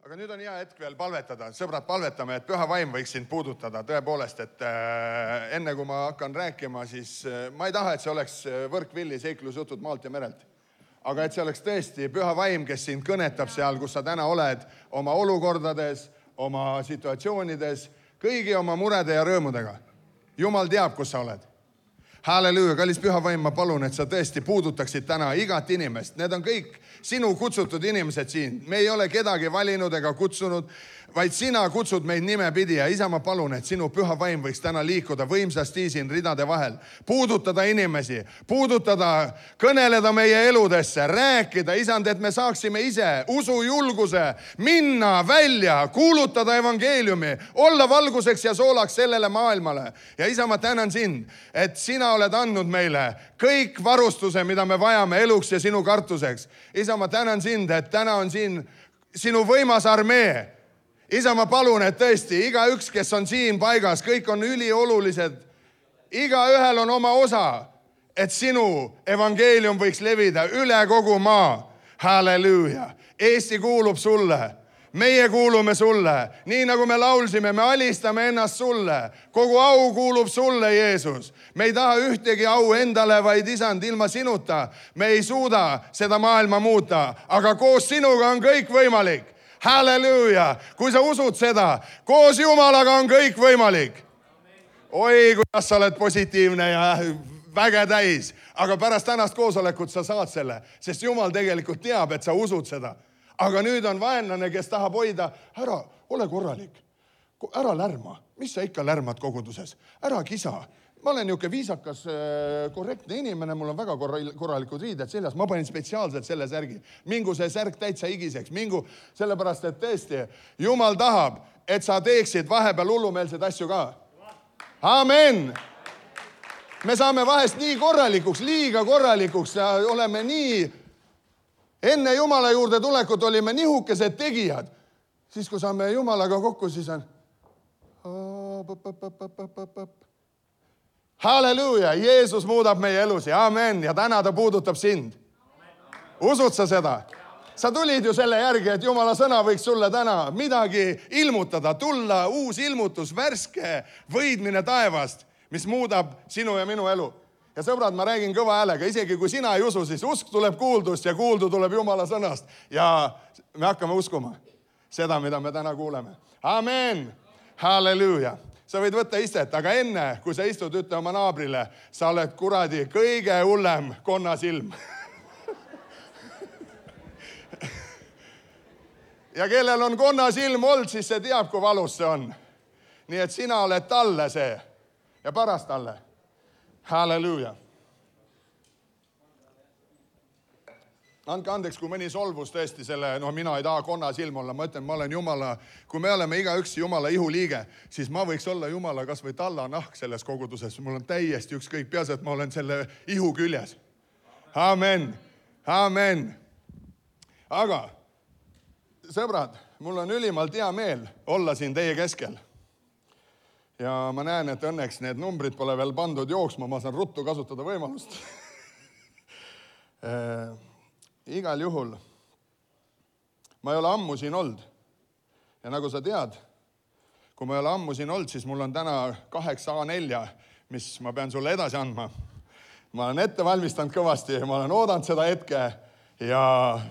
Aga nüüd on hea hetk veel palvetada. Sõbrad, palvetame, et püha vaim võiks sind puudutada. Tõepoolest, et enne kui ma hakkan rääkima, siis ma ei taha, et see oleks võrkvilli seiklusjutud maalt ja merelt. Aga et see oleks tõesti püha vaim, kes sind kõnetab seal, kus sa täna oled, oma olukordades, oma situatsioonides, kõigi oma murede ja rõõmudega. Jumal teab, kus sa oled. Halleluuja, kallis püha vaim, ma palun, et sa tõesti puudutaksid täna igat inimest. Need on kõik sinu kutsutud inimesed siin. Me ei ole kedagi valinud ega kutsunud, vaid sina kutsud meid nimepidi. Ja isa, ma palun, et sinu püha vaim võiks täna liikuda võimsasti siin ridade vahel. Puudutada inimesi, puudutada, kõneleda meie eludesse, rääkida, isand, et me saaksime ise usujulguse minna välja, kuulutada evangeeliumi, olla valguseks ja soolaks sellele maailmale. Ja isa, ma tänan sind, et sina oled andnud meile kõik varustuse, mida me vajame eluks ja sinu kartuseks. Isa, ma tänan sind, et täna on siin sinu võimas armee. Isa, ma palun, et tõesti igaüks, kes on siin paigas, kõik on üliolulised. Igaühel on oma osa, et sinu evangeelium võiks levida üle kogu maa. Halleluuja. Eesti kuulub sulle. Meie kuulume sulle. Nii nagu me laulsime, me alistame ennast sulle. Kogu au kuulub sulle, Jeesus. Me ei taha ühtegi au endale, vaid isand, ilma sinuta. Me ei suuda seda maailma muuta, aga koos sinuga on kõik võimalik. Halleluuja. Kui sa usud seda, koos Jumalaga on kõik võimalik. Oi, kuidas sa oled positiivne ja väge täis. Aga pärast tänast koosolekut sa saad selle, sest Jumal tegelikult teab, et sa usud seda. Aga nüüd on vaenlane, kes tahab hoida, ära, ole korralik, ära lärma. Mis sa ikka lärmad koguduses? Ära kisa. Ma olen niuke viisakas, korrektne inimene, mul on väga korralikud riided seljas. Ma panin spetsiaalselt selle särgi. Mingu see särg täitsa higiseks. Mingu sellepärast, et tõesti, Jumal tahab, et sa teeksid vahepeal hullumeelseid asju ka. Amen! Me saame vahest nii korralikuks, liiga korralikuks ja oleme nii... Enne Jumala juurde tulekut olime nihukesed tegijad. Siis, kui saame Jumalaga kokku, siis on... Halleluuja, Jeesus muudab meie elusi. Amen. Ja täna ta puudutab sind. Usud sa seda? Sa tulid ju selle järgi, et Jumala sõna võiks sulle täna midagi ilmutada, tulla uus ilmutus, värske võidmine taevast, mis muudab sinu ja minu elu. Ja sõbrad, ma räägin kõva häälega, isegi kui sina ei usu, siis usk tuleb kuuldust ja kuuldu tuleb Jumala sõnast. Ja me hakkame uskuma seda, mida me täna kuuleme. Amen. Halleluuja. Sa võid võtta istet, aga enne, kui sa istud, ütle oma naabrile, sa oled kuradi kõige hullem konnasilm. Ja kellel on konnasilm olnud, siis see teab, kui valus see on. Nii et sina oled talle see ja paras talle. Halleluuja. Andke andeks, kui mõni solvus tõesti selle, mina ei taha konna silm olla, ma ütlen, ma olen Jumala, kui me oleme igaüks Jumala ihuliige, siis ma võiks olla Jumala kas või talla nahk selles koguduses. Mul on täiesti ükskõik, peaasi, et ma olen selle ihu küljes. Amen. Amen. Aga, sõbrad, mul on ülimalt hea meel olla siin teie keskel. Ja ma näen, et õnneks need numbrid pole veel pandud jooksma, ma saan ruttu kasutada võimalust. Igal juhul, ma ei ole ammu siin olnud. Ja nagu sa tead, kui ma ei ole ammu siin olnud, siis mul on täna 8 A4, mis ma pean sulle edasi andma. Ma olen ette valmistanud kõvasti, ma olen oodanud seda hetke ja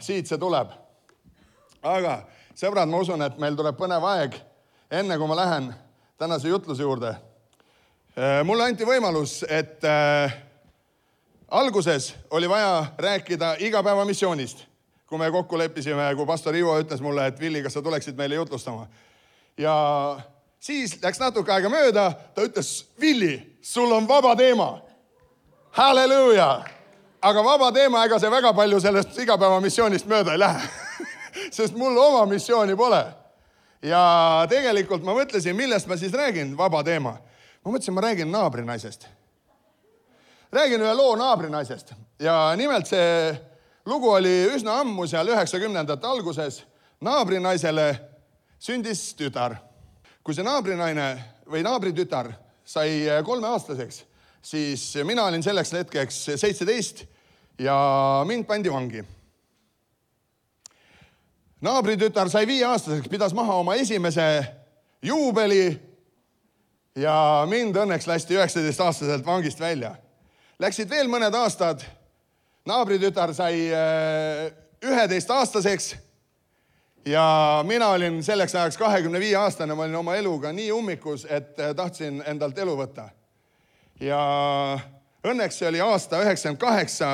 siit see tuleb. Aga sõbrad, ma usun, et meil tuleb põnev aeg, enne kui ma lähen tänase jutluse juurde. Mulle anti võimalus, et alguses oli vaja rääkida igapäeva missioonist. Kui me kokku leppisime, kui pastor Ivo ütles mulle, et Villi, kas sa tuleksid meile jutlustama. Ja siis läks natuke aega mööda, ta ütles, Villi, sul on vaba teema. Halleluuja! Aga vaba teema, ega see väga palju sellest igapäeva missioonist mööda ei lähe. Sest mul oma missiooni pole. Ja tegelikult ma mõtlesin, millest ma siis räägin, vaba teema. Ma mõtlesin, ma räägin naabrinaisest. Räägin ühe loo naabrinaisest. Ja nimelt see lugu oli üsna ammu seal 90ndate alguses. Naabrinaisele sündis tütar. Kui see naabrinaine või naabritütar sai 3-aastaseks, siis mina olin selleks hetkeks 17 ja mind pandi vangi. Naabritütar sai 5-aastaseks, pidas maha oma esimese juubeli ja mind õnneks lasti 19-aastaselt vangist välja. Läksid veel mõned aastad, naabritütar sai 11-aastaseks ja mina olin selleks ajaks 25-aastane, ma olin oma eluga nii ummikus, et tahtsin endalt elu võtta. Ja õnneks see oli aasta 98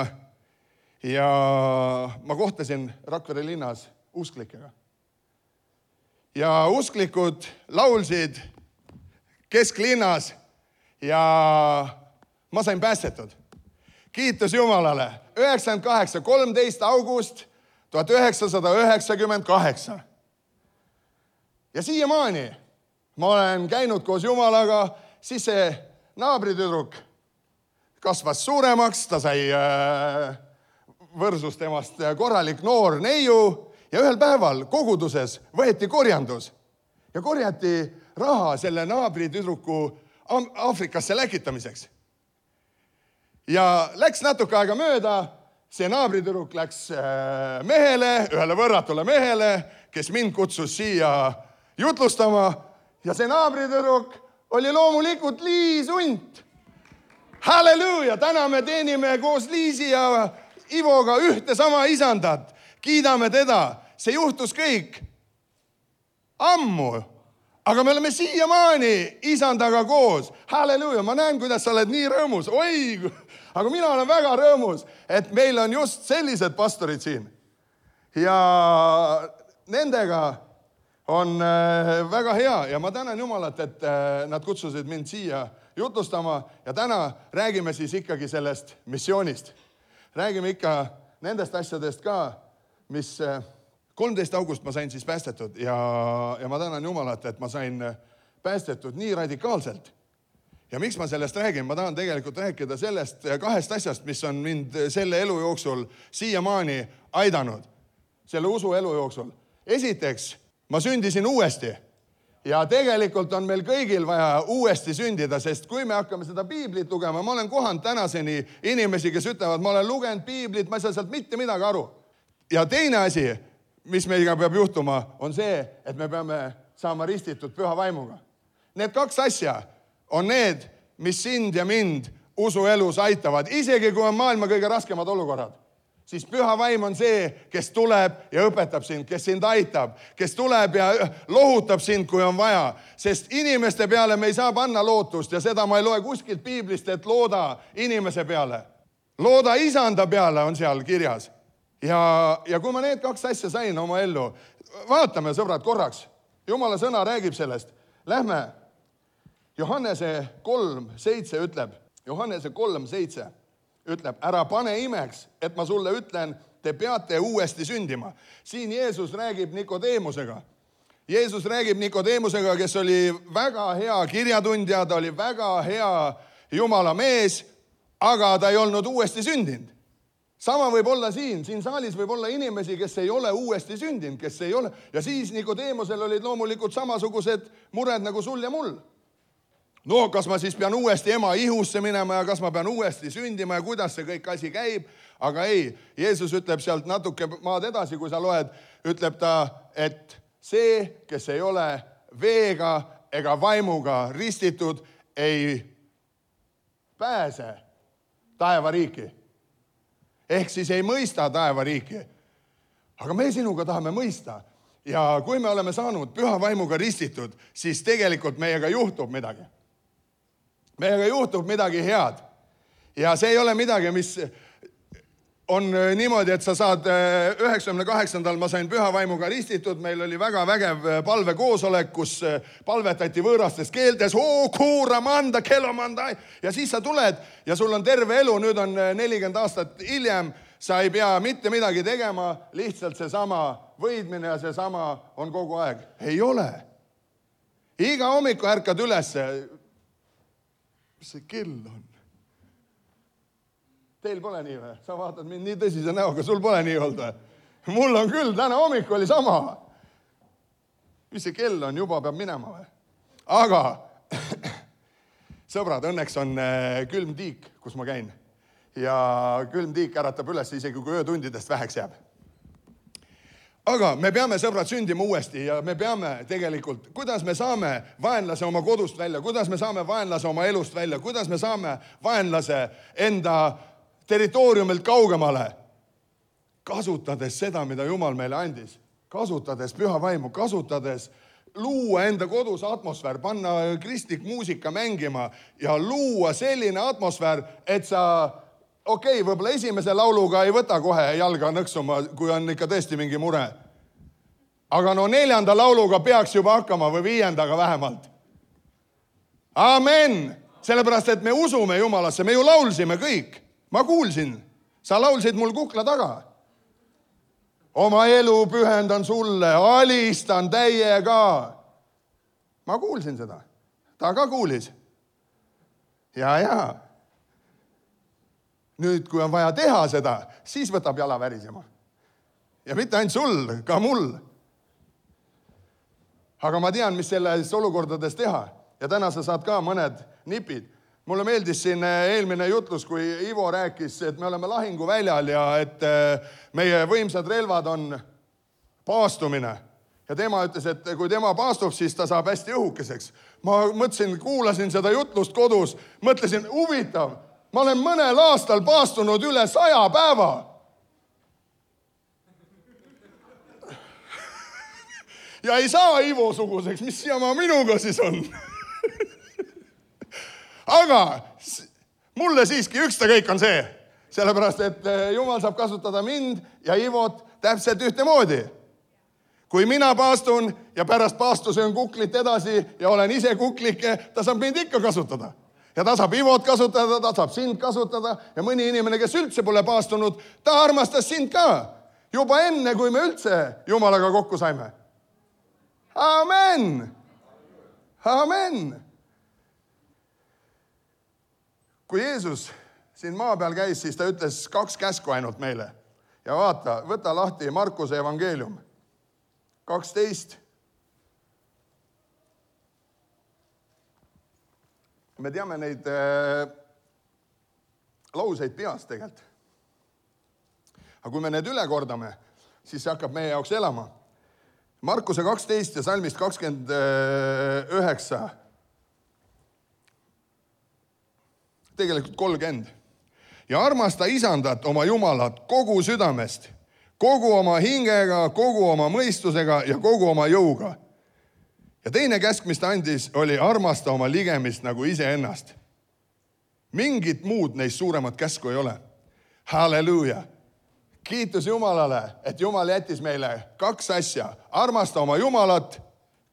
ja ma kohtasin Rakvere linnas usklikega. Ja usklikud laulsid kesklinnas ja ma sain päästetud. Kiitus Jumalale. 98, 13 august 1998. Ja siiamaani ma olen käinud koos Jumalaga, siis see naabritüdruk kasvas suuremaks, ta sai võrsus temast korralik noor neiu ja ühel päeval koguduses võeti korjandus ja korjati raha selle naabritüdruku Aafrikasse läkitamiseks. Ja läks natuke aega mööda, see naabritüdruk läks mehele, ühele võrratule mehele, kes mind kutsus siia jutlustama ja see naabritüdruk oli loomulikult Liis Unt. Halleluuja, täna me teenime koos Liisi ja Ivoga ühte sama isandat. Kiidame teda, see juhtus kõik ammu, aga me oleme siiamaani isandaga koos. Halleluuja, ma näen, kuidas sa oled nii rõõmus. Oi, aga mina olen väga rõõmus, et meil on just sellised pastorid siin. Ja nendega on väga hea ja ma tänan Jumalat, et nad kutsusid mind siia jutlustama ja täna räägime siis ikkagi sellest missioonist. Räägime ikka nendest asjadest ka, mis 13 august ma sain siis päästetud ja ma tänan Jumalat, et ma sain päästetud nii radikaalselt. Ja miks ma sellest räägin? Ma tahan tegelikult rääkida sellest 2 asjast, mis on mind selle elu jooksul siiamaani aidanud, selle usu elu jooksul. Esiteks, ma sündisin uuesti ja tegelikult on meil kõigil vaja uuesti sündida, sest kui me hakkame seda piiblit lugema, ma olen kohanud tänaseni inimesi, kes ütlevad, ma olen lugenud piiblit, ma ei saa sealt mitte midagi aru. Ja teine asi, mis meiga peab juhtuma, on see, et me peame saama ristitud püha vaimuga. Need 2 asja on need, mis sind ja mind usuelus aitavad, isegi kui on maailma kõige raskemad olukorrad. Siis püha vaim on see, kes tuleb ja õpetab sind, kes sind aitab, kes tuleb ja lohutab sind, kui on vaja. Sest inimeste peale me ei saa panna lootust ja seda ma ei loe kuskilt piiblist, et looda inimese peale. Looda isanda peale on seal kirjas. Ja kui ma need 2 asja sain oma ellu, vaatame sõbrad korraks. Jumala sõna räägib sellest. Lähme Johannese 3:7 ütleb, Johannese 3:7 ütleb, ära pane imeks, et ma sulle ütlen, te peate uuesti sündima. Siin Jeesus räägib Nikodeemusega. Jeesus räägib Nikodeemusega, kes oli väga hea kirjatundja, ta oli väga hea Jumala mees, aga ta ei olnud uuesti sündinud. Sama võib olla siin saalis võib olla inimesi, kes ei ole uuesti sündinud, kes ei ole. Ja siis Nikodeemusel olid loomulikult samasugused mured nagu sul ja mul. No, kas ma siis pean uuesti ema ihusse minema ja kas ma pean uuesti sündima ja kuidas see kõik asi käib? Aga ei, Jeesus ütleb sealt natuke maad edasi, kui sa loed, ütleb ta, et see, kes ei ole veega ega vaimuga ristitud, ei pääse taevariiki. Ehk siis ei mõista taevariiki. Aga me sinuga tahame mõista. Ja kui me oleme saanud püha vaimuga ristitud, siis tegelikult meiega juhtub midagi. Meiega juhtub midagi head. Ja see ei ole midagi, mis on niimoodi, et sa saad 98. ma sain püha vaimuga ristitud, meil oli väga vägev palvekoosolek, kus palvetati võõrastes keeltes, kuuramanda, kelomanda, ja siis sa tuled ja sul on terve elu, nüüd on 40 aastat hiljem, sa ei pea mitte midagi tegema, lihtsalt seesama võidmine ja seesama on kogu aeg. Ei ole. Iga hommiku ärkad ülesse. Mis see kell on? Teil pole nii või? Sa vaatad mind nii tõsise näoga, sul pole nii olnud või? Mul on küll, täna hommik oli sama. Mis see kell on? Juba peab minema või? Aga sõbrad, õnneks on külm tiik, kus ma käin. Ja külm tiik äratab üles isegi, kui öötundidest väheks jääb. aga me peame, sõbrad, sündima uuesti ja me peame tegelikult, kuidas me saame vaenlase oma kodust välja, kuidas me saame vaenlase oma elust välja, kuidas me saame vaenlase enda territooriumilt kaugemale, kasutades seda, mida Jumal meile andis, kasutades püha vaimu, kasutades luua enda kodus atmosfäär, panna kristlik muusika mängima ja luua selline atmosfäär, et sa võib-olla esimese lauluga ei võta kohe jalga nõksuma, kui on ikka tõesti mingi mure. Aga 4. lauluga peaks juba hakkama või 5. vähemalt. Amen! Sellepärast, et me usume Jumalasse, me ju laulsime kõik. Ma kuulsin, sa laulsid mul kukla taga. Oma elu pühendan sulle, alistan täiega. Ma kuulsin seda. Ta ka kuulis. Ja. Nüüd, kui on vaja teha seda, siis võtab jala värisema. Ja mitte ainult sul, ka mul. Aga ma tean, mis selles olukordades teha. Ja täna sa saad ka mõned nipid. Mulle meeldis siin eelmine jutlus, kui Ivo rääkis, et me oleme lahinguväljal ja et meie võimsad relvad on paastumine. Ja tema ütles, et kui tema paastub, siis ta saab hästi õhukeseks. Ma mõtlesin, kuulasin seda jutlust kodus, mõtlesin, huvitav. Ma olen mõnel aastal paastunud üle 100 päeva. Ja ei saa Ivo-suguseks, mis jama minuga siis on. Aga mulle siiski ükstakäik on see, sellepärast, et Jumal saab kasutada mind ja Ivot täpselt ühtemoodi. Kui mina paastun ja pärast paastuse on kuklit edasi ja olen ise kuklike, ta saab mind ikka kasutada. Ja ta saab Ivot kasutada, ta saab sind kasutada ja mõni inimene, kes üldse pole paastunud, ta armastas sind ka. Juba enne, kui me üldse Jumalaga kokku saime. Amen! Amen! Kui Jeesus siin maa peal käis, siis ta ütles 2 käsku ainult meile. Ja vaata, võta lahti Markuse evangeelium. 12. Me teame neid lauseid peast tegelikult. Aga kui me need üle kordame, siis see hakkab meie jaoks elama. Markuse 12 ja salmist 29. Tegelikult 30. Ja armasta isandat oma Jumalat kogu südamest, kogu oma hingega, kogu oma mõistusega ja kogu oma jõuga. Ja teine käsk, mis ta andis, oli armasta oma ligemist nagu iseennast. Mingit muud neist suuremat käsku ei ole. Halleluuja! Kiitus Jumalale, et Jumal jättis meile 2 asja. Armasta oma Jumalat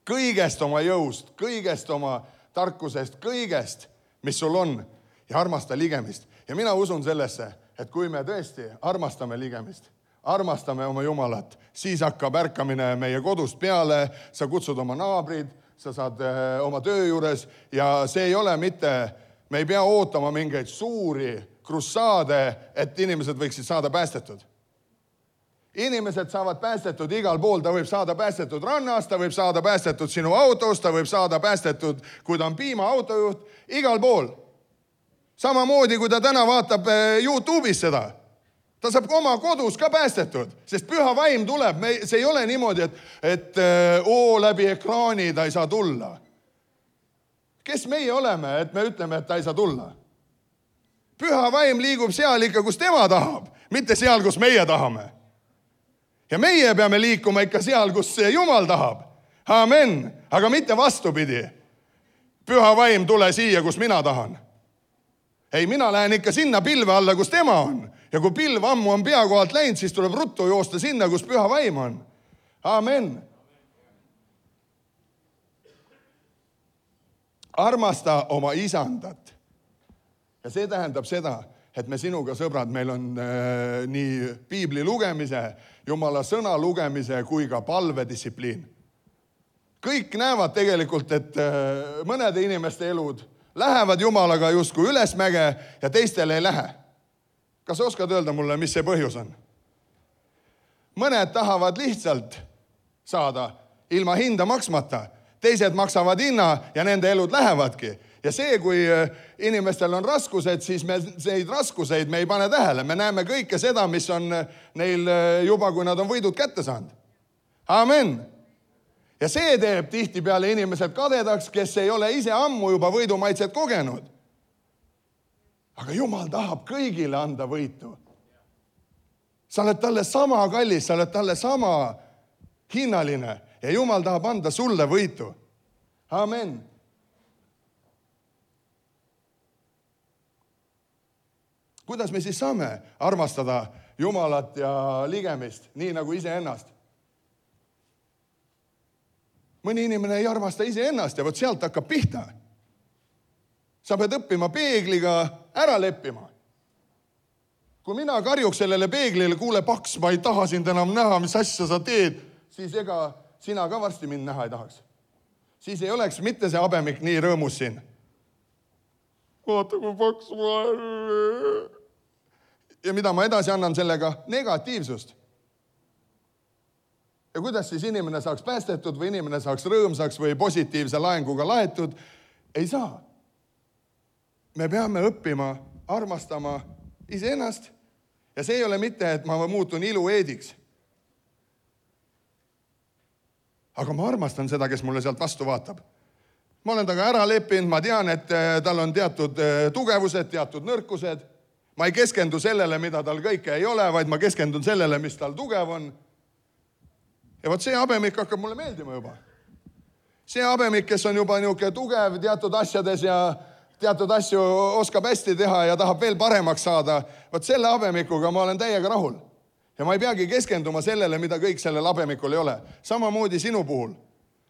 kõigest oma jõust, kõigest oma tarkusest, kõigest, mis sul on. Ja armasta ligemist. Ja mina usun sellesse, et kui me tõesti armastame ligemist, armastame oma Jumalat, siis hakkab ärkamine meie kodust peale, sa kutsud oma naabrid, sa saad oma töö juures ja see ei ole mitte, me ei pea ootama mingeid suuri krussaade, et inimesed võiksid saada päästetud. Inimesed saavad päästetud igal pool, ta võib saada päästetud rannast, ta võib saada päästetud sinu autos, ta võib saada päästetud, kui ta on piimaautojuht, igal pool. Samamoodi, kui ta täna vaatab YouTube'is seda. Ta saab oma kodus ka päästetud, sest püha vaim tuleb. See ei ole niimoodi, et läbi ekraani ta ei saa tulla. Kes meie oleme, et me ütleme, et ta ei saa tulla? Püha vaim liigub seal ikka, kus tema tahab, mitte seal, kus meie tahame. Ja meie peame liikuma ikka seal, kus Jumal tahab. Amen. Aga mitte vastupidi. Püha vaim tule siia, kus mina tahan. Ei, mina lähen ikka sinna pilve alla, kus tema on. Ja kui pilv ammu on pea kohalt läinud, siis tuleb ruttu joosta sinna, kus püha vaim on. Amen. Armasta oma isandat. Ja see tähendab seda, et me sinuga, sõbrad, meil on nii piibli lugemise, Jumala sõna lugemise kui ka palvedistsipliin. Kõik näevad tegelikult, et mõnede inimeste elud lähevad Jumalaga justkui ülesmäge ja teistele ei lähe. Kas oskad öelda mulle, mis see põhjus on? Mõned tahavad lihtsalt saada ilma hinda maksmata. Teised maksavad hinna ja nende elud lähevadki. Ja see, kui inimestel on raskused, siis me neid raskuseid me ei pane tähele. Me näeme kõike seda, mis on neil juba, kui nad on võidud kätte saanud. Amen. Ja see teeb tihtipeale inimesed kadedaks, kes ei ole ise ammu juba võidumaitset kogenud. Aga Jumal tahab kõigile anda võitu. Sa oled talle sama kallis, sa oled talle sama hinnaline ja Jumal tahab anda sulle võitu. Amen. Kuidas me siis saame armastada Jumalat ja ligemist, nii nagu iseennast? Mõni inimene ei armasta iseennast ja vot sealt hakkab pihta. Sa pead õppima peegliga ära leppima. Kui mina karjuks sellele peeglile, kuule paks, ma ei taha sind enam näha, mis asja sa teed, siis ega sina ka varsti mind näha ei tahaks. Siis ei oleks mitte see habemik nii rõõmus siin. Vaata, kui paks ma olen. Ja mida ma edasi annan sellega? Negatiivsust. Ja kuidas siis inimene saaks päästetud või inimene saaks rõõmsaks või positiivse laenguga laetud? Ei saa. Me peame õppima armastama iseennast ja see ei ole mitte, et ma muutun ilueediks. Aga ma armastan seda, kes mulle sealt vastu vaatab. Ma olen taga ära leppinud, ma tean, et tal on teatud tugevused, teatud nõrkused. Ma ei keskendu sellele, mida tal kõike ei ole, vaid ma keskendun sellele, mis tal tugev on. Ja vot see habemik hakkab mulle meeldima juba. See habemik, kes on juba niuke tugev teatud asjades ja teatud asju oskab hästi teha ja tahab veel paremaks saada, vot selle habemikuga ma olen täiega rahul. Ja ma ei peagi keskenduma sellele, mida kõik sellel habemikul ei ole. Samamoodi sinu puhul.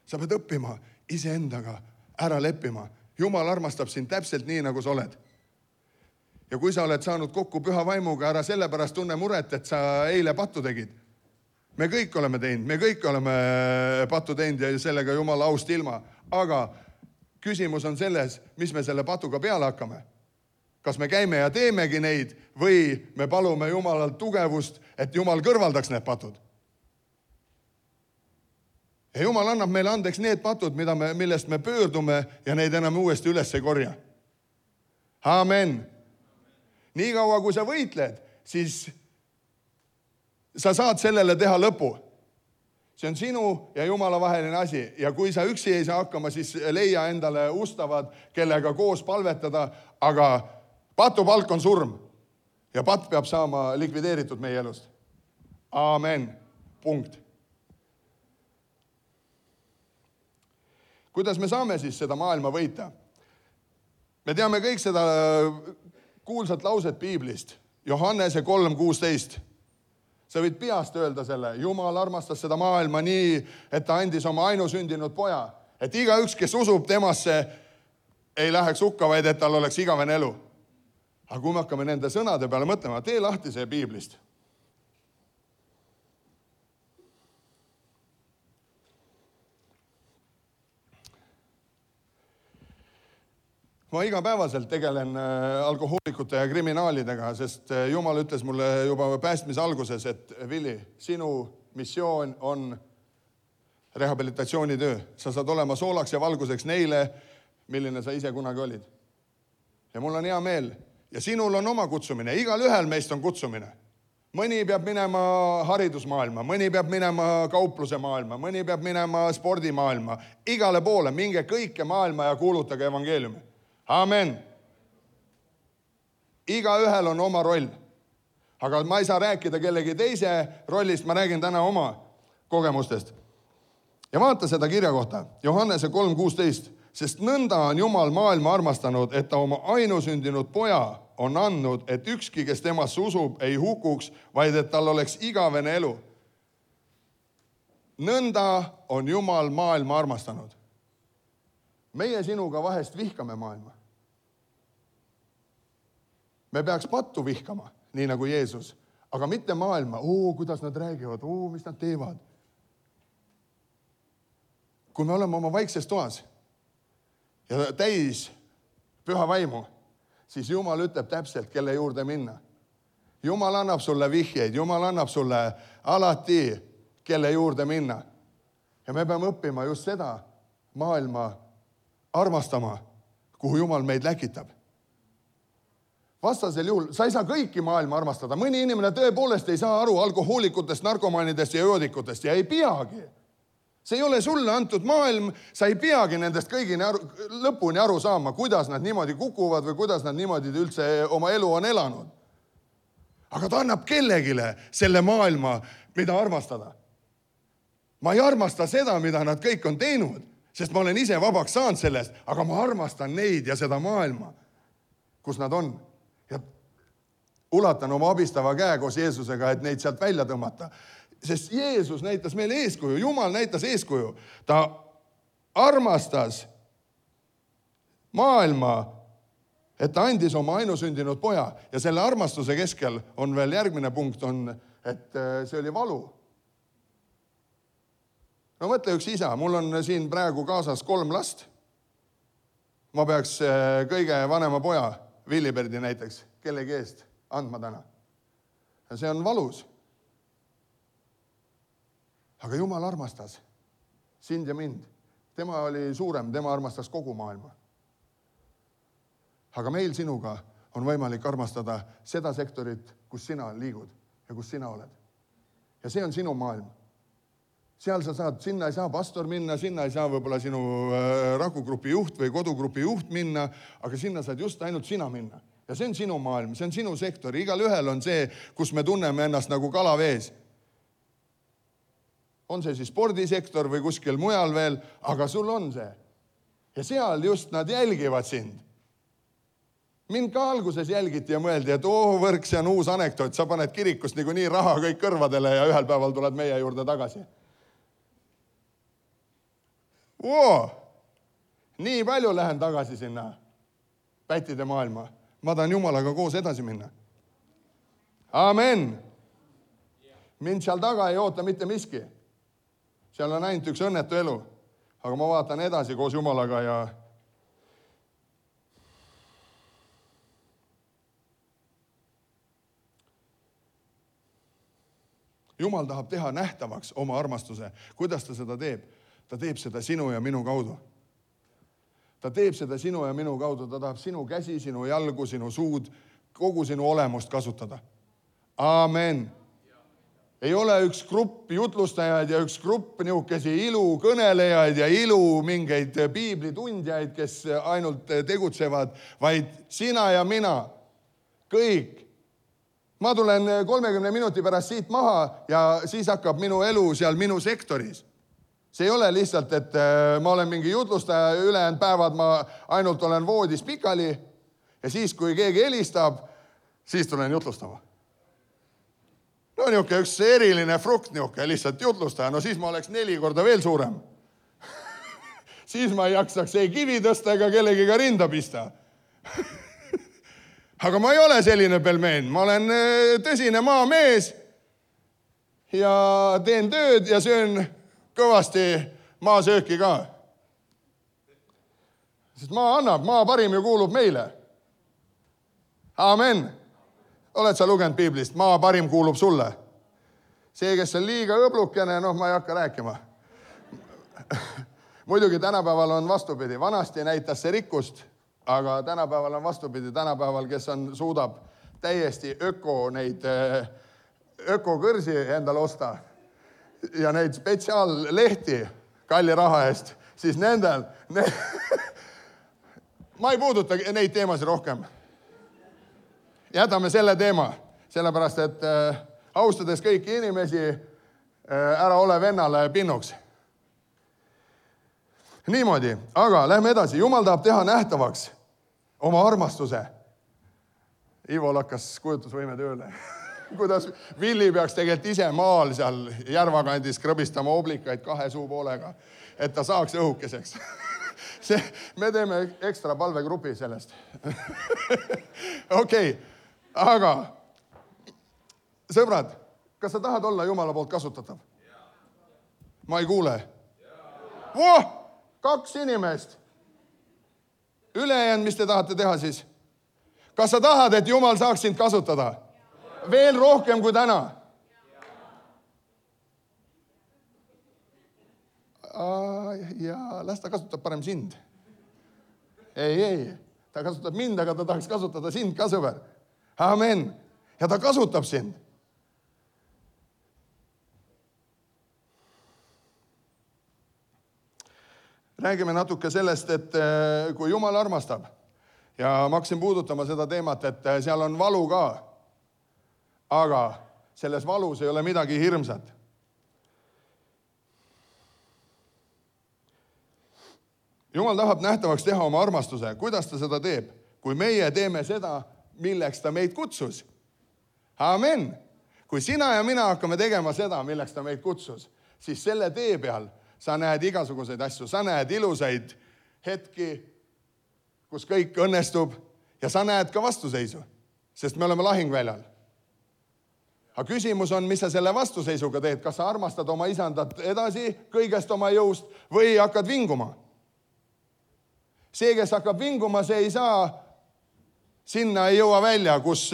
Sa pead õppima iseendaga ära leppima. Jumal armastab sind täpselt nii, nagu sa oled. Ja kui sa oled saanud kokku püha vaimuga, ära sellepärast tunne muret, et sa eile pattu tegid. Me kõik oleme teinud, me kõik oleme pattu teinud ja sellega Jumala aust ilma. Aga küsimus on selles, mis me selle patuga peale hakkame. Kas me käime ja teemegi neid või me palume Jumalalt tugevust, et Jumal kõrvaldaks need patud. Ja Jumal annab meile andeks need patud, millest me pöördume ja neid enam uuesti üles ei korja. Amen. Nii kaua, kui sa võitled, siis sa saad sellele teha lõpu. See on sinu ja Jumala vaheline asi. Ja kui sa üksi ei saa hakkama, siis leia endale ustavad, kellega koos palvetada, aga patupalk on surm. Ja patt peab saama likvideeritud meie elust. Amen. Punkt. Kuidas me saame siis seda maailma võita? Me teame kõik seda kuulsat lauset Piiblist. Johannese 3:16. Sa võid peast öelda selle. Jumal armastas seda maailma nii, et ta andis oma ainusündinud poja. Et igaüks, kes usub temasse, ei läheks hukka, vaid et tal oleks igavene elu. Aga kui me hakkame nende sõnade peale mõtlema, tee lahti see Piiblist. Ma igapäevaselt tegelen alkohoolikute ja kriminaalidega, sest Jumal ütles mulle juba päästmise alguses, et Vili, sinu missioon on rehabilitatsioonitöö. Sa saad olema soolaks ja valguseks neile, milline sa ise kunagi olid. Ja mul on hea meel. Ja sinul on oma kutsumine. Igal ühel meist on kutsumine. Mõni peab minema haridusmaailma, mõni peab minema kaupluse maailma, mõni peab minema spordimaailma. Igale poole, minge kõike maailma ja kuulutage evangeeliumi. Amen. Igaühel on oma roll. Aga ma ei saa rääkida kellegi teise rollist, ma räägin täna oma kogemustest. Ja vaata seda kirja kohta, Johannese 3:16. Sest nõnda on Jumal maailma armastanud, et ta oma ainusündinud poja on andnud, et ükski, kes temasse usub, ei hukuks, vaid et tal oleks igavene elu. Nõnda on Jumal maailma armastanud. Meie sinuga vahest vihkame maailma. Me peaks pattu vihkama, nii nagu Jeesus, aga mitte maailma. Kuidas nad räägivad, mis nad teevad. Kui me oleme oma vaikses toas ja täis püha vaimu, siis Jumal ütleb täpselt, kelle juurde minna. Jumal annab sulle vihjeid, Jumal annab sulle alati, kelle juurde minna. Ja me peame õppima just seda maailma armastama, kuhu Jumal meid läkitab. Vastasel juhul sa ei saa kõiki maailma armastada. Mõni inimene tõepoolest ei saa aru alkohoolikutest, narkomaanidest ja joodikutest ja ei peagi. See ei ole sulle antud maailm, sa ei peagi nendest lõpuni aru saama, kuidas nad niimoodi kukuvad või kuidas nad niimoodi üldse oma elu on elanud. Aga ta annab kellegile selle maailma, mida armastada. Ma ei armasta seda, mida nad kõik on teinud, sest ma olen ise vabaks saanud sellest, aga ma armastan neid ja seda maailma, kus nad on. Ja ulatan oma abistava käe koos Jeesusega, et neid sealt välja tõmmata. Sest Jeesus näitas meile eeskuju, Jumal näitas eeskuju. Ta armastas maailma, et ta andis oma ainusündinud poja. Ja selle armastuse keskel on veel järgmine punkt, et see oli valu. No mõtle üks isa, mul on siin praegu kaasas 3 last. Ma peaks kõige vanema poja, Villiberdi näiteks, kellegi eest andma täna. Ja see on valus. Aga Jumal armastas sind ja mind. Tema oli suurem, tema armastas kogu maailma. Aga meil sinuga on võimalik armastada seda sektorit, kus sina liigud ja kus sina oled. Ja see on sinu maailm. Seal sa saad, sinna ei saa pastor minna, sinna ei saa võib-olla sinu rakugrupi juht või kodugrupi juht minna, aga sinna saad just ainult sina minna. Ja see on sinu maailm, see on sinu sektor. Igal ühel on see, kus me tunneme ennast nagu kala vees. On see siis spordisektor või kuskil mujal veel, aga sul on see. Ja seal just nad jälgivad sind. Mind ka alguses jälgiti ja mõeldi, et võrk, see on uus anekdoot, sa paned kirikust nii raha kõik kõrvadele ja ühel päeval tuled meie juurde tagasi. Nii palju lähen tagasi sinna pättide maailma. Ma tahan Jumalaga koos edasi minna. Amen. Mind seal taga ei oota mitte miski. Seal on ainult üks õnnetu elu. Aga ma vaatan edasi koos Jumalaga ja Jumal tahab teha nähtavaks oma armastuse. Kuidas ta seda teeb? Ta teeb seda sinu ja minu kaudu. Ta teeb seda sinu ja minu kaudu. Ta tahab sinu käsi, sinu jalgu, sinu suud, kogu sinu olemust kasutada. Amen. Ei ole üks grupp jutlustajaid ja üks grupp niukesi ilukõnelejaid ja mingeid piiblitundjaid, kes ainult tegutsevad, vaid sina ja mina. Kõik. Ma tulen 30 minuti pärast siit maha ja siis hakkab minu elu seal minu sektoris. See ei ole lihtsalt, et ma olen mingi jutlustaja, ülejäänud päevad ma ainult olen voodis pikali ja siis, kui keegi helistab, siis tulen jutlustama. No niuke üks eriline frukt niuke, lihtsalt jutlustaja, no siis ma oleks 4 korda veel suurem. Siis ma ei jaksaks ei kivi tõsta ega kellegiga rinda pista. Aga ma ei ole selline pelmeen, ma olen tõsine maamees ja teen tööd ja söön kõvasti maasööki ka. Sest maa annab, maa parim ju kuulub meile. Amen. Oled sa lugenud Piiblist? Maa parim kuulub sulle. See, kes on liiga õblukene, ma ei hakka rääkima. Muidugi tänapäeval on vastupidi. Vanasti näitas see rikkust, aga tänapäeval on vastupidi. Tänapäeval, kes suudab täiesti ökokõrsi endale osta ja neid spetsiaallehti kalli raha eest, siis nendel... Ma ei puuduta neid teemasid rohkem. Jätame selle teema, sellepärast, et austades kõiki inimesi, ära ole vennale pinnuks. Niimoodi, aga lähme edasi. Jumal tahab teha nähtavaks oma armastuse. Ivo lakkas kujutusvõime tööle. Kuidas Villi peaks tegelikult ise maal seal järvakandis krõbistama oblikaid 2 suupoolega, et ta saaks õhukeseks. Me teeme ekstra palvegrupi sellest. Okei. Aga, sõbrad, kas sa tahad olla Jumala poolt kasutatav? Ma ei kuule. 2 inimest. Ülejäänud, mis te tahate teha siis? Kas sa tahad, et Jumal saaks sind kasutada? Veel rohkem kui täna? Ja las ta kasutab parem sind. Ei. Ta kasutab mind, aga ta tahaks kasutada sind ka, sõber. Amen. Ja ta kasutab sind. Räägime natuke sellest, et kui Jumal armastab ja ma hakkasin puudutama seda teemat, et seal on valu ka, aga selles valus ei ole midagi hirmsat. Jumal tahab nähtavaks teha oma armastuse. Kuidas ta seda teeb? Kui meie teeme seda, milleks ta meid kutsus. Amen. Kui sina ja mina hakkame tegema seda, milleks ta meid kutsus, siis selle tee peal sa näed igasuguseid asju. Sa näed ilusaid hetki, kus kõik õnnestub ja sa näed ka vastuseisu, sest me oleme lahingväljal. Aga küsimus on, mis sa selle vastuseisuga teed? Kas sa armastad oma isandat edasi kõigest oma jõust või hakkad vinguma? See, kes hakkab vinguma, see ei saa, sinna ei jõua välja, kus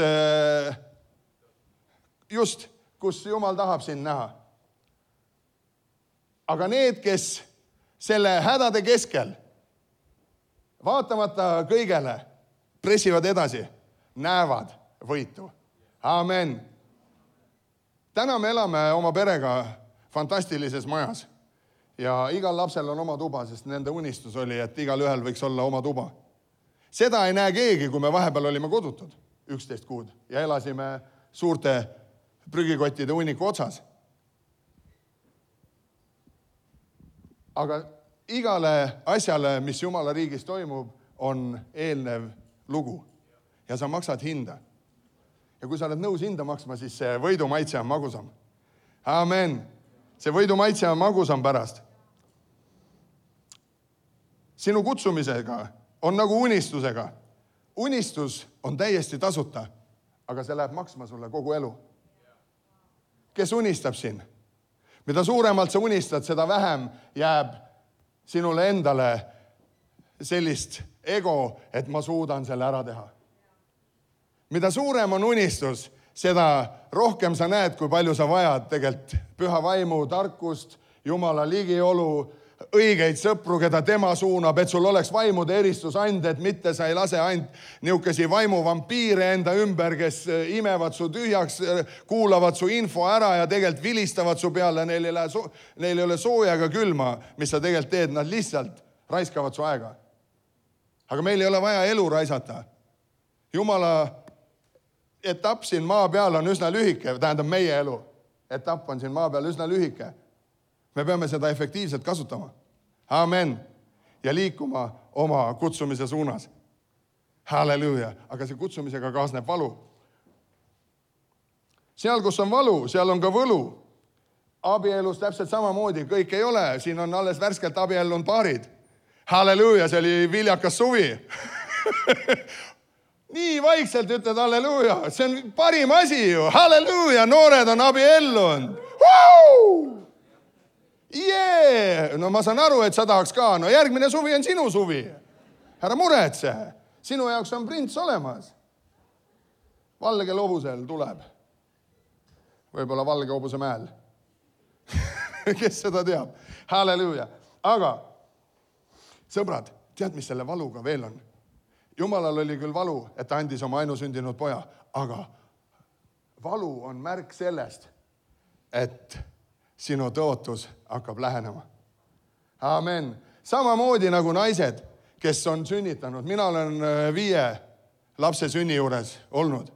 Jumal tahab sind näha. Aga need, kes selle hädade keskel, vaatamata kõigele, pressivad edasi, näevad võitu. Amen. Täna me elame oma perega fantastilises majas. Ja igal lapsel on oma tuba, sest nende unistus oli, et igal ühel võiks olla oma tuba. Seda ei näe keegi, kui me vahepeal olime kodutud 11 kuud ja elasime suurte prügikottide hunniku otsas. Aga igale asjale, mis Jumala riigis toimub, on eelnev lugu ja sa maksad hinda. Ja kui sa oled nõus hinda maksma, siis see võidumaitse on magusam. Amen. See võidumaitse on magusam pärast. Sinu kutsumisega on nagu unistusega. Unistus on täiesti tasuta, aga see läheb maksma sulle kogu elu. Kes unistab siin? Mida suuremalt sa unistad, seda vähem jääb sinule endale sellist ego, et ma suudan selle ära teha. Mida suurem on unistus, seda rohkem sa näed, kui palju sa vajad tegelikult püha vaimu, tarkust, Jumala ligiolu, õigeid sõpru, keda tema suunab, et sul oleks vaimude eristusanded, mitte sa ei lase ainult niukesi vaimuvampiire enda ümber, kes imevad su tühjaks, kuulavad su info ära ja tegelikult vilistavad su peale, neil ei ole sooja ega külma, mis sa tegelikult teed, nad lihtsalt raiskavad su aega. Aga meil ei ole vaja elu raisata. Jumala etapp siin maa peal on üsna lühike, tähendab meie elu. Etapp on siin maa peal üsna lühike. Me peame seda efektiivselt kasutama. Amen. Ja liikuma oma kutsumise suunas. Halleluuja. Aga see kutsumisega kaasneb valu. Seal, kus on valu, seal on ka võlu. Abielus täpselt samamoodi. Kõik ei ole. Siin on alles värskelt abiellunud paarid. Halleluuja, see oli viljakas suvi. Nii vaikselt ütled halleluuja. See on parim asi ju. Halleluuja, noored on abiellunud. Jee! No ma saan aru, et sa tahaks ka. No järgmine suvi on sinu suvi. Ära muretse. Sinu jaoks on prints olemas. Valge hobusel tuleb. Võib-olla valge hobuse mäel. Kes seda teab? Halleluuja. Aga, sõbrad, tead, mis selle valuga veel on? Jumalal oli küll valu, et ta andis oma ainusündinud poja, aga valu on märk sellest, et sinu tõotus hakkab lähenema. Amen. Samamoodi nagu naised, kes on sünnitanud. Mina olen 5 lapse sünni juures olnud.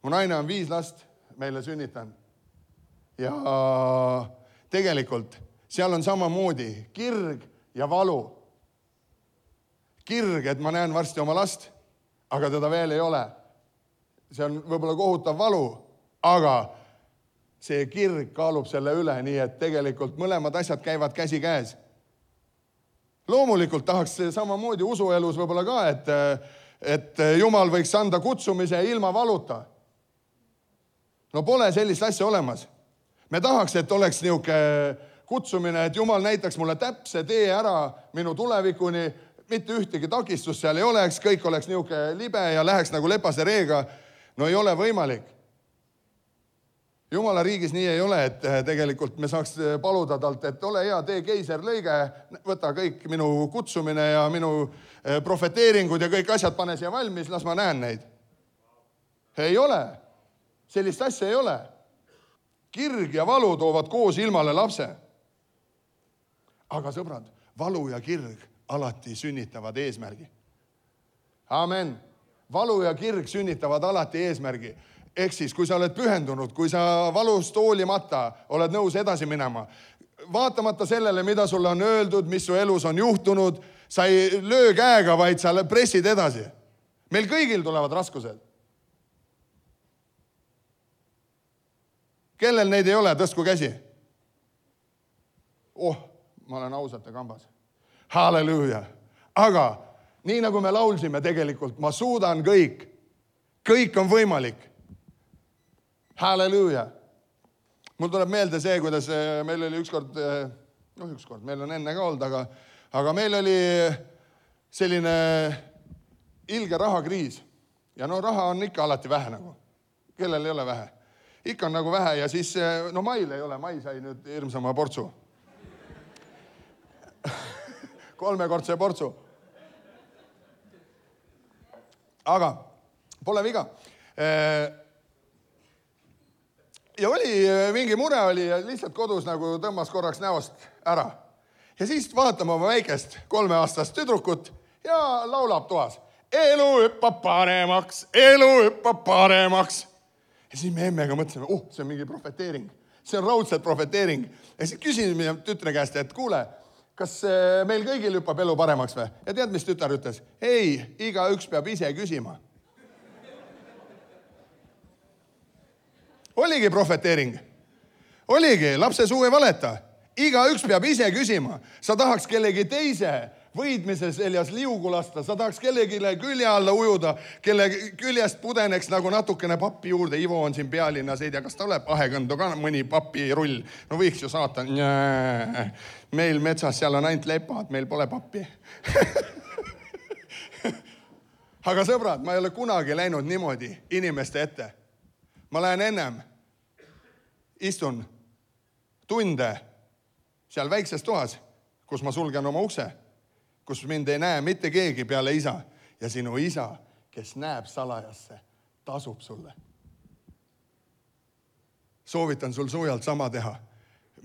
Mu naine on 5 last meile sünnitanud. Ja tegelikult seal on samamoodi kirg ja valu. Kirg, et ma näen varsti oma last, aga teda veel ei ole. See on võib-olla kohutav valu, aga see kirg kaalub selle üle, nii et tegelikult mõlemad asjad käivad käsi käes. Loomulikult tahaks samamoodi usuelus võib-olla ka, et Jumal võiks anda kutsumise ilma valuta. No pole sellist asja olemas. Me tahaks, et oleks niuke kutsumine, et Jumal näitaks mulle täpse tee ära minu tulevikuni, mitte ühtegi takistust seal ei oleks, kõik oleks niuke libe ja läheks nagu lepase reega. No ei ole võimalik. Jumala riigis nii ei ole, et tegelikult me saaks paluda talt, et ole hea, tee keiserlõige, võta kõik minu kutsumine ja minu profeteeringud ja kõik asjad pane siia valmis, las ma näen neid. Ei ole. Sellist asja ei ole. Kirg ja valu toovad koos ilmale lapse. Aga sõbrad, valu ja kirg alati sünnitavad eesmärgi. Amen. Valu ja kirg sünnitavad alati eesmärgi. Ehk siis, kui sa oled pühendunud, kui sa valust hoolimata oled nõus edasi minema, vaatamata sellele, mida sulle on öeldud, mis su elus on juhtunud, sa ei löö käega, vaid sa pressid edasi. Meil kõigil tulevad raskused. Kellel neid ei ole, tõstku käsi. Ma olen ausate kambas. Halleluuja. Aga nii nagu me laulsime tegelikult, ma suudan kõik. Kõik on võimalik. Halleluuja. Mul tuleb meelde see, kuidas meil oli ükskord, meil on enne ka olnud, aga meil oli selline ilge rahakriis. Ja raha on ikka alati vähe nagu. Kellel ei ole vähe? Ikka on nagu vähe ja siis, Mail ei ole, Mai sai nüüd hirmsama portsu. 3-kordse portsu. Aga pole viga. Ja oli mingi mure oli ja lihtsalt kodus nagu tõmmas korraks näost ära. Ja siis vaatame oma väikest 3-aastast tüdrukut ja laulab toas. Elu hüppab paremaks, elu hüppab paremaks. Ja siis me emmega mõtlesime, see on mingi profeteering. See on raudselt profeteering. Ja siis küsisime tütre käest, et kuule, kas meil kõigil hüppab elu paremaks või? Ja tead, mis tütar ütles? Ei, igaüks peab ise küsima. Oligi profeteering. Oligi, lapse suu ei valeta. Igaüks peab ise küsima. Sa tahaks kellegi teise võidmise seljas liugu lasta. Sa tahaks kellegile külje alla ujuda, kelle küljest pudeneks nagu natukene pappi juurde. Ivo on siin pealinnas, ei tea, kas ta oleb ahekõndu ka mõni papirull. No võiks ju saata. Meil metsas seal on ainult lepad, meil pole pappi. Aga sõbrad, ma ei ole kunagi läinud niimoodi inimeste ette. Ma lähen ennem, istun tunde seal väikses toas, kus ma sulgen oma ukse, kus mind ei näe mitte keegi peale isa. Ja sinu isa, kes näeb salajasse, tasub sulle. Soovitan sul soojalt sama teha.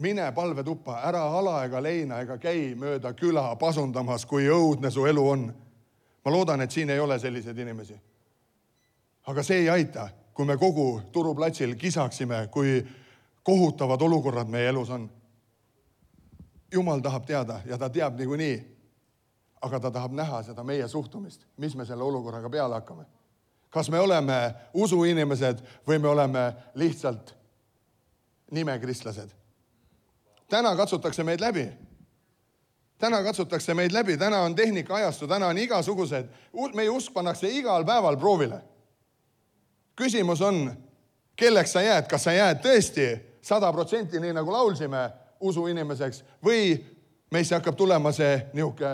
Mine palvetuppa, ära ala ega leina ega käi mööda küla pasundamas, kui õudne su elu on. Ma loodan, et siin ei ole selliseid inimesi. Aga see ei aita. Kui me kogu turuplatsil kisaksime, kui kohutavad olukorrad meie elus on. Jumal tahab teada ja ta teab niikuinii, aga ta tahab näha seda meie suhtumist, mis me selle olukorraga peale hakkame. Kas me oleme usuinimesed või me oleme lihtsalt nimekristlased? Täna katsutakse meid läbi. Täna on tehnika ajastu, täna on igasugused. Meie usk pannakse igal päeval proovile. Küsimus on, kelleks sa jääd, kas sa jääd tõesti 100% nii nagu laulsime usuinimeseks või meisse hakkab tulema see nihuke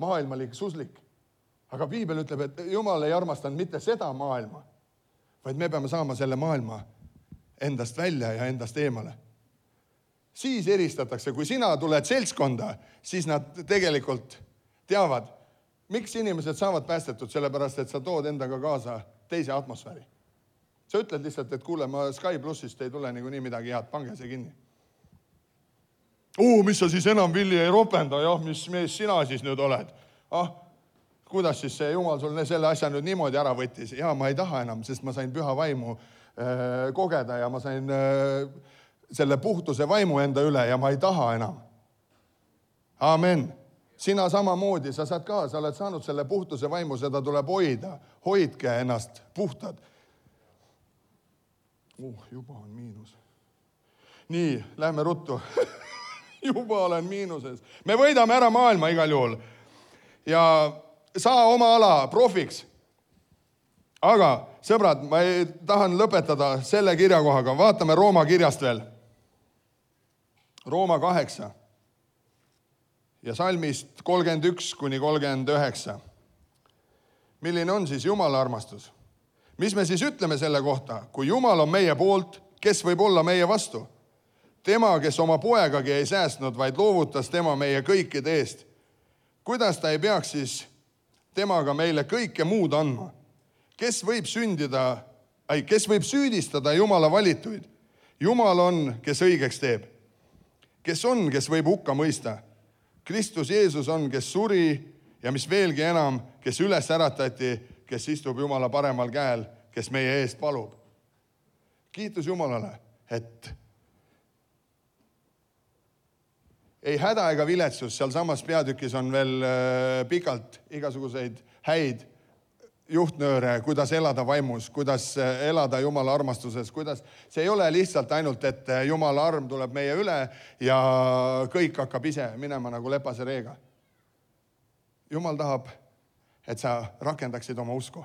maailmalik suslik. Aga piibel ütleb, et Jumal ei armastanud mitte seda maailma, vaid me peame saama selle maailma endast välja ja endast eemale. Siis eristatakse, kui sina tuled seltskonda, siis nad tegelikult teavad, miks inimesed saavad päästetud, sellepärast, et sa tood endaga kaasa teise atmosfääri. Sa ütled lihtsalt, et kuule, ma Sky Plussist ei tule nii midagi head, pange see kinni. Mis sa siis enam Villi ei ropenda, mis mees sina siis nüüd oled? Kuidas siis see Jumal sul selle asja nüüd niimoodi ära võttis? Ja ma ei taha enam, sest ma sain püha vaimu kogeda ja ma sain selle puhtuse vaimu enda üle ja ma ei taha enam. Amen. Sina samamoodi, sa saad ka, sa oled saanud selle puhtuse vaimu, seda tuleb hoida. Hoidke ennast puhtad. Juba on miinus. Nii, lähme ruttu. Juba olen miinuses. Me võidame ära maailma igal juhul. Ja saa oma ala profiks. Aga, sõbrad, ma tahan lõpetada selle kirjakohaga. Vaatame Rooma kirjast veel. Rooma 8. Ja salmist 31-39. Milline on siis Jumala armastus? Mis me siis ütleme selle kohta? Kui Jumal on meie poolt, kes võib olla meie vastu? Tema, kes oma poegagi ei säästnud, vaid loovutas tema meie kõikide eest. Kuidas ta ei peaks siis temaga meile kõike muud andma? Kes võib süüdistada Jumala valituid? Jumal on, kes õigeks teeb. Kes on, kes võib hukka mõista? Kristus Jeesus on, kes suri ja mis veelgi enam, kes üles äratati, kes istub Jumala paremal käel, kes meie eest palub. Kiitus Jumalale, et ei häda ega viletsus, seal samas peatükis on veel pikalt igasuguseid häid juhtnööre, kuidas elada vaimus, kuidas elada Jumala armastuses, kuidas see ei ole lihtsalt ainult, et Jumala arm tuleb meie üle ja kõik hakkab ise minema nagu lepase reega. Jumal tahab, et sa rakendaksid oma usku.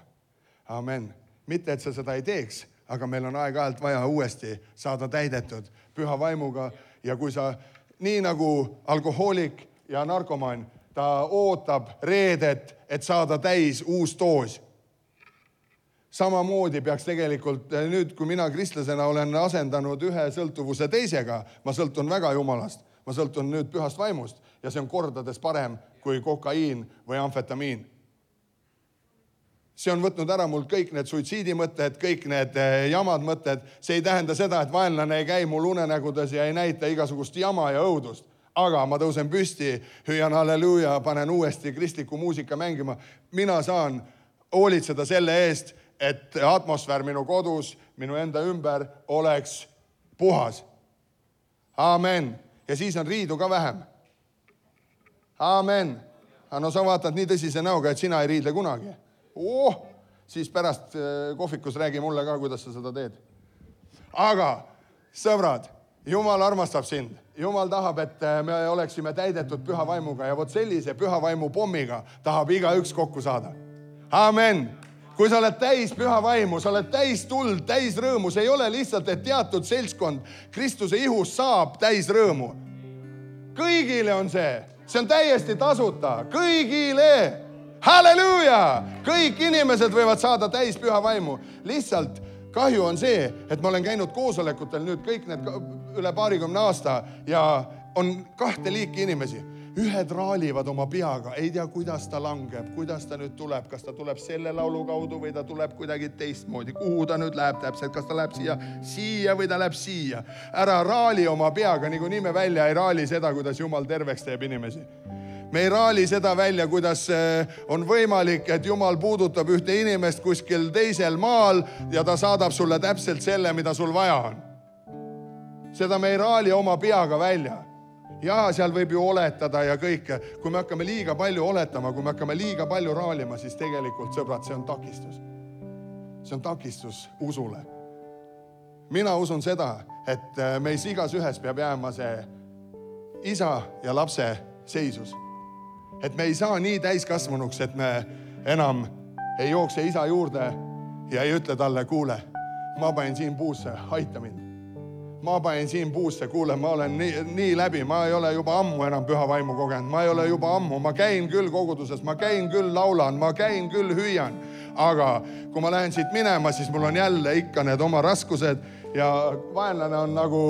Amen. Mitte, et sa seda ei teeks, aga meil on aeg-ajalt vaja uuesti saada täidetud püha vaimuga ja kui sa nii nagu alkohoolik ja narkomaan, ta ootab reedet, et saada täis uus doos. Samamoodi peaks tegelikult nüüd, kui mina kristlasena olen asendanud ühe sõltuvuse teisega, ma sõltun väga Jumalast, ma sõltun nüüd pühast vaimust ja see on kordades parem kui kokaiin või amfetamiin. See on võtnud ära mul kõik need suitsiidimõtted, kõik need jamad mõtted. See ei tähenda seda, et vaenlane ei käi mul unenägudes ja ei näita igasugust jama ja õudust. Aga ma tõusen püsti, hüüan halleluuja, panen uuesti kristliku muusika mängima. Mina saan hoolitseda selle eest, et atmosfäär minu kodus, minu enda ümber oleks puhas. Amen. Ja siis on riidu ka vähem. Amen. No sa vaatad nii tõsise näoga, et sina ei riidle kunagi. Siis pärast kohvikus räägi mulle ka, kuidas sa seda teed. Aga, sõbrad, Jumal armastab sind. Jumal tahab, et me oleksime täidetud püha vaimuga ja vot sellise püha vaimu pommiga tahab igaüks kokku saada. Amen. Kui sa oled täis püha vaimu, sa oled täis tuld, täis rõõmu, see ei ole lihtsalt, et teatud seltskond Kristuse ihus saab täis rõõmu. Kõigile on see. See on täiesti tasuta. Kõigile. Halleluuja! Kõik inimesed võivad saada täis püha vaimu. Lihtsalt kahju on see, et ma olen käinud koosolekutel nüüd kõik need üle 20 aasta ja on 2 liiki inimesi. Ühed raalivad oma peaga, ei tea, kuidas ta langeb, kuidas ta nüüd tuleb, kas ta tuleb selle laulu kaudu või ta tuleb kuidagi teistmoodi, kuhu ta nüüd läheb täpselt, kas ta läheb siia või ta läheb siia. Ära raali oma peaga, nagu nime välja ei raali seda, kuidas Jumal terveks teeb inimesi. Me ei raali seda välja, kuidas on võimalik, et Jumal puudutab ühte inimest kuskil teisel maal ja ta saadab sulle täpselt selle, mida sul vaja on. Seda me ei raali oma peaga välja. Ja seal võib ju oletada ja kõike. Kui me hakkame liiga palju oletama, kui me hakkame liiga palju raalima, siis tegelikult, sõbrad, see on takistus. See on takistus usule. Mina usun seda, et meis igas ühes peab jääma see isa ja lapse seisus. Et me ei saa nii täiskasvanuks, et me enam ei jookse isa juurde ja ei ütle talle, kuule, ma panen siin puusse, aita mind. Ma panen siin puusse, kuule, ma olen nii läbi, ma ei ole juba ammu enam püha vaimu kogenud, ma ei ole juba ammu, ma käin küll koguduses, ma käin küll laulan, ma käin küll hüüan, aga kui ma lähen siit minema, siis mul on jälle ikka need oma raskused ja vaenlane on nagu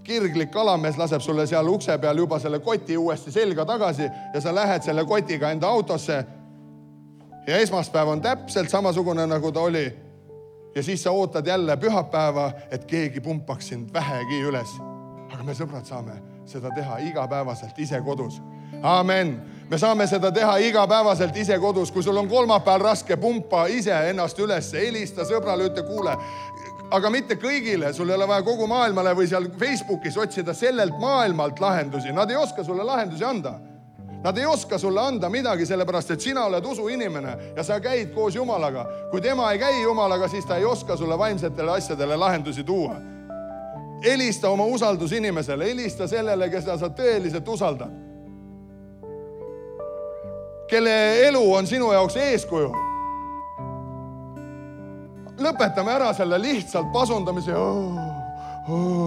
kirglik kalamees, laseb sulle seal ukse peal juba selle koti uuesti selga tagasi ja sa lähed selle kotiga enda autosse ja esmaspäev on täpselt samasugune, nagu ta oli. Ja siis sa ootad jälle pühapäeva, et keegi pumpaks sind vähegi üles. Aga me sõbrad saame seda teha igapäevaselt ise kodus. Amen. Me saame seda teha igapäevaselt ise kodus. Kui sul on kolmapäeval raske, pumpa ise ennast üles, helista sõbrale, ütle, kuule, aga mitte kõigile. Sul ei ole vaja kogu maailmale või seal Facebookis otsida sellelt maailmalt lahendusi. Nad ei oska sulle lahendusi anda. Nad ei oska sulle anda midagi, sellepärast, et sina oled usuinimene ja sa käid koos Jumalaga. Kui tema ei käi Jumalaga, siis ta ei oska sulle vaimsetele asjadele lahendusi tuua. Helista oma usaldus inimesele, helista sellele, kes sa tõeliselt usaldad. Kelle elu on sinu jaoks eeskuju. Lõpetame ära selle lihtsalt pasundamise.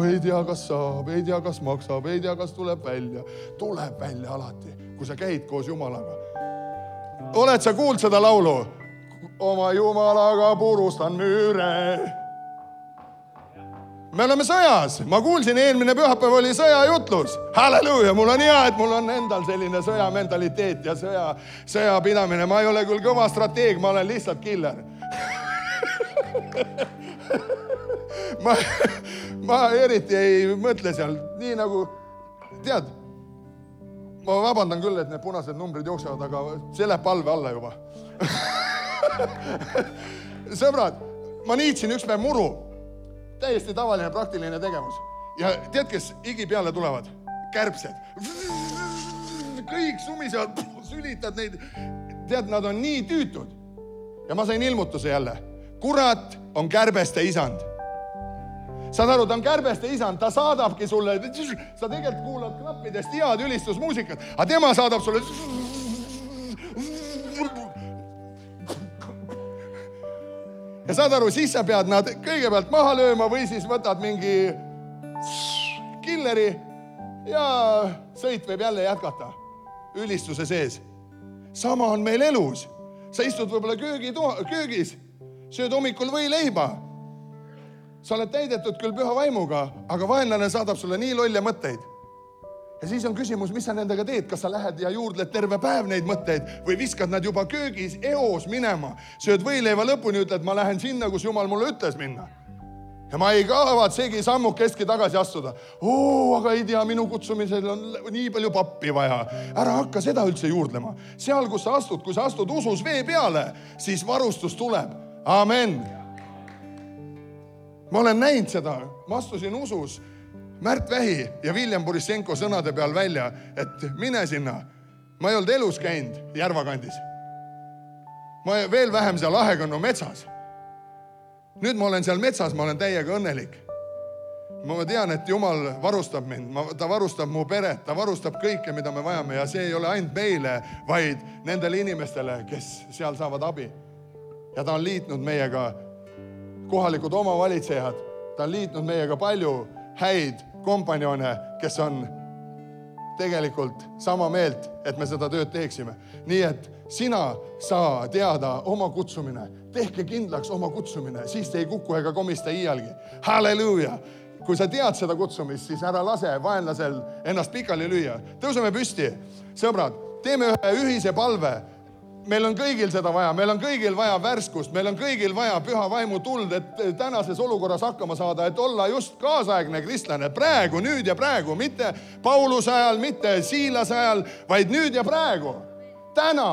Ei tea, kas saab, ei tea, kas maksab, ei tea, kas tuleb välja. Tuleb välja alati, kui sa käid koos Jumalaga. Oled sa kuuld seda laulu? Oma Jumalaga purustan müüre. Me oleme sõjas. Ma kuulsin, eelmine pühapäev oli sõjajutlus. Halleluuja, mul on hea, et mul on endal selline sõjamentaliteet ja sõjapidamine. Ma ei ole küll kõva strateeg, ma olen lihtsalt killer. Ma eriti ei mõtle seal. Nii nagu, tead, ma vabandan küll, et need punased numbrid jooksevad, aga see läheb palve alla juba. Sõbrad, ma niitsin üks päev muru. Täiesti tavaline praktiline tegevus. Ja tead, kes higi peale tulevad? Kärbsed. Kõik sumisevad, sülitad neid. Tead, nad on nii tüütud. Ja ma sain ilmutuse jälle. Kurat on kärbeste isand. Saad aru, ta on kärbeste isand, ta saadabki sulle, sa tegelikult kuulad knappidest head ülistusmuusikat, aga tema saadab sulle ja saad aru, siis sa pead nad kõigepealt maha lööma või siis võtad mingi killeri ja sõit võib jälle jätkata ülistuse sees. Sama on meil elus. Sa istud võib-olla köögis, sööd hommikul võileiba. Sa oled täidetud küll püha vaimuga, aga vaenlane saadab sulle nii lolle mõtteid. Ja siis on küsimus, mis sa nendega teed? Kas sa lähed ja juurdled terve päev neid mõtteid või viskad nad juba köögis eos minema? Sööd võileiva lõpuni, ütled, ma lähen sinna, kus Jumal mulle ütles minna. Ja ma ei kavatsegi sammukestki tagasi astuda. Aga ei tea, minu kutsumisel on nii palju pappi vaja. Ära hakka seda üldse juurdlema. Seal, kus sa astud, kui sa astud usus vee peale, siis varustus tuleb. Amen. Ma olen näinud seda. Ma astusin usus Märt Vähi ja William Borisenko sõnade peal välja, et mine sinna. Ma ei olnud elus käinud Järvakandis. Ma veel vähem seal Ahekõnnu metsas. Nüüd ma olen seal metsas, ma olen täiega õnnelik. Ma tean, et Jumal varustab mind, ta varustab mu peret, ta varustab kõike, mida me vajame ja see ei ole ainult meile, vaid nendele inimestele, kes seal saavad abi. Ja ta on liitnud meiega kohalikud omavalitsejad, ta on liitnud meiega palju häid kompanjone, kes on tegelikult sama meelt, et me seda tööd teeksime. Nii et sina saa teada oma kutsumine, tehke kindlaks oma kutsumine, siis te ei kuku ega komista iialgi. Halleluuja! Kui sa tead seda kutsumist, siis ära lase vaenlasel ennast pikali lüüa. Tõuseme püsti. Sõbrad, teeme ühe ühise palve. Meil on kõigil seda vaja, meil on kõigil vaja värskust, meil on kõigil vaja püha vaimu tuld, et tänases olukorras hakkama saada, et olla just kaasaegne kristlane. Praegu, nüüd ja praegu, mitte Pauluse ajal, mitte Siilase ajal, vaid nüüd ja praegu. Täna.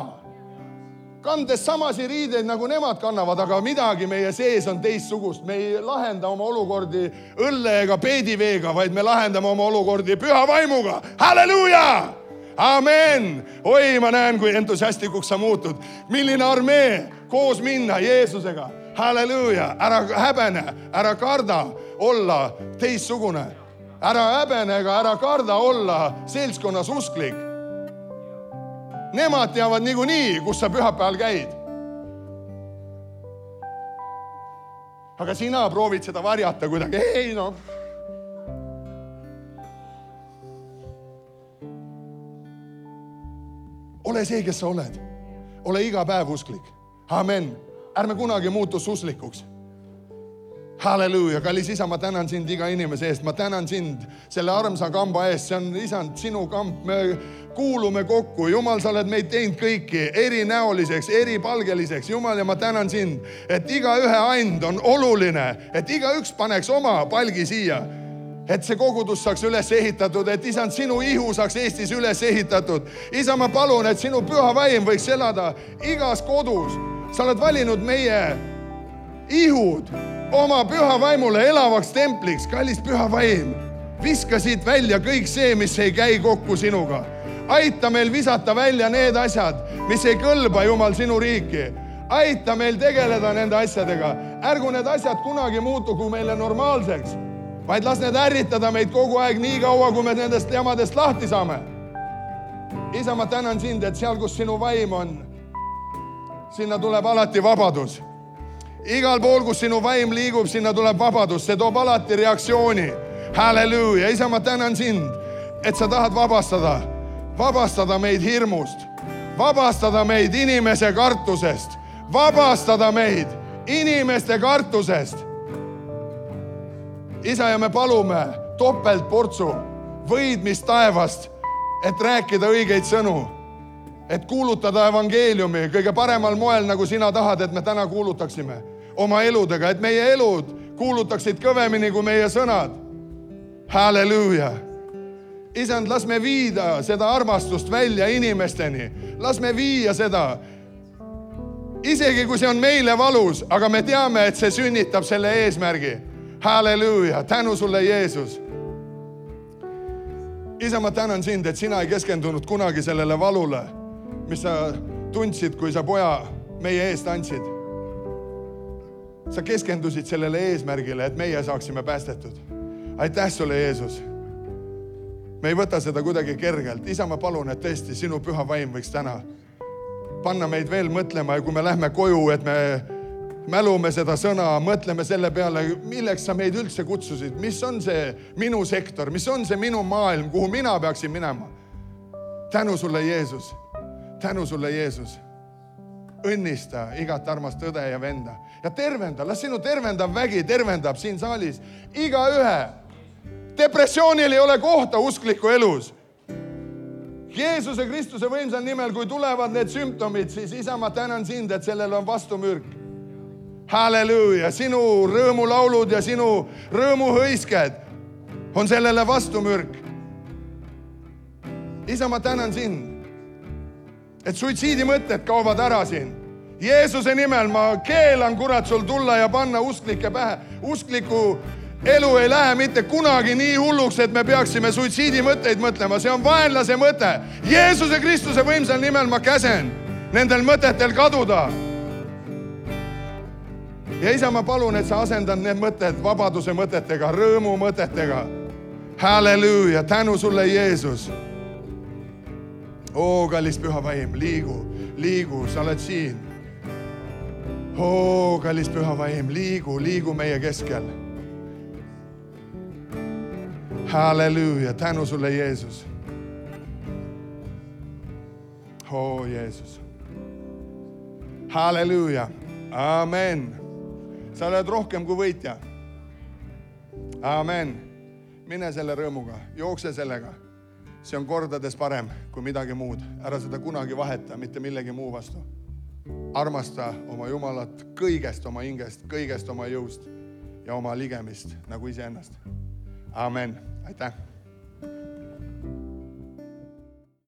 Kandes samasi riideid, nagu nemad kannavad, aga midagi meie sees on teistsugust. Me ei lahenda oma olukordi õlle ega peediveega, vaid me lahendame oma olukordi püha vaimuga. Halleluuja! Amen! Oi, ma näen, kui entusiastikuks sa muutud. Milline armee koos minna Jeesusega. Halleluuja! Ära häbene, ära karda olla teistsugune. Ära häbene ega ära karda olla seltskonnas usklik. Nemad teavad niikuinii, kus sa pühapäeval käid. Aga sina proovid seda varjata kuidagi. Ei, no. Ole see, kes sa oled. Ole iga päev usklik. Amen. Ärme kunagi muutu uslikuks. Halleluuja, kallis isa, ma tänan sind iga inimese eest. Ma tänan sind selle armsa kamba eest. See on, isand, sinu kamp. Me kuulume kokku. Jumal, sa oled meid teinud kõiki erinäoliseks, eripalgeliseks. Jumal, ja ma tänan sind, et iga ühe and on oluline, et iga üks paneks oma palgi siia. Et see kogudus saaks üles ehitatud, et isand, sinu ihu saaks Eestis üles ehitatud. Isa, ma palun, et sinu püha vaim võiks elada igas kodus. Sa oled valinud meie ihud oma püha vaimule elavaks templiks. Kallis püha vaim, viska siit välja kõik see, mis ei käi kokku sinuga. Aita meil visata välja need asjad, mis ei kõlba, Jumal, sinu riiki. Aita meil tegeleda nende asjadega. Ärgu need asjad kunagi muutugu meile normaalseks, vaid las need ärritada meid kogu aeg nii kaua, kui me nendest jamadest lahti saame. Isa, ma tänan sind, et seal, kus sinu vaim on, sinna tuleb alati vabadus. Igal pool, kus sinu vaim liigub, sinna tuleb vabadus. See toob alati reaktsiooni. Halleluuja. Isa, ma tänan sind, et sa tahad vabastada meid hirmust, vabastada meid inimese kartusest, vabastada meid inimeste kartusest. isa, ja me palume topeltportsu võidmist taevast, et rääkida õigeid sõnu, et kuulutada evangeeliumi kõige paremal moel, nagu sina tahad, et me täna kuulutaksime oma eludega, et meie elud kuulutaksid kõvemini kui meie sõnad. Halleluuja. Isand, las me viida seda armastust välja inimesteni. Las me viia seda. Isegi kui see on meile valus, aga me teame, et see sünnitab selle eesmärgi. Halleluuja. Tänu sulle, Jeesus. Isa, ma tänan sind, et sina ei keskendunud kunagi sellele valule, mis sa tundsid, kui sa poja meie eest andsid. Sa keskendusid sellele eesmärgile, et meie saaksime päästetud. Aitäh sulle, Jeesus. Me ei võta seda kuidagi kergelt. Isa, ma palun, et tõesti sinu püha vaim võiks täna panna meid veel mõtlema, ja kui me lähme koju, et me mälume seda sõna, mõtleme selle peale, milleks sa meid üldse kutsusid, mis on see minu sektor, mis on see minu maailm, kuhu mina peaksin minema. Tänu sulle, Jeesus. Tänu sulle, Jeesus. Õnnista igat armast õde ja venda. Ja tervenda, las sinu tervendav vägi tervendab siin saalis iga ühe. Depressioonil ei ole kohta uskliku elus. Jeesuse Kristuse võimsal nimel, kui tulevad need sümptomid, siis isa, ma tänan sind, et sellel on vastumürk. Halleluuja, sinu rõõmulaulud ja sinu rõõmuhõisked on sellele vastumürk. Isa, ma tänan sind, et suitsiidimõtted kaovad ära siin. Jeesuse nimel ma keelan, kurat, sul tulla ja panna usklike pähe. Uskliku elu ei lähe mitte kunagi nii hulluks, et me peaksime suitsiidimõtteid mõtlema. See on vaenlase mõte. Jeesuse Kristuse võimsal nimel ma käsen nendel mõtetel kaduda. Ja isa, ma palun, et sa asendad need mõtted vabaduse mõtetega, rõõmu mõtetega. Halleluuja, tänu sulle, Jeesus. Oo, kallis püha vaim, liigu, sa oled siin. Oo, kallis püha vaim, liigu meie keskel. Halleluuja, tänu sulle, Jeesus. Oo, Jeesus. Halleluuja, amen. Sa oled rohkem kui võitja. Amen. Mine selle rõõmuga, jookse sellega. See on kordades parem kui midagi muud. Ära seda kunagi vaheta, mitte millegi muu vastu. Armasta oma Jumalat kõigest oma hingest, kõigest oma jõust ja oma ligemist nagu iseennast. Amen. Aitäh.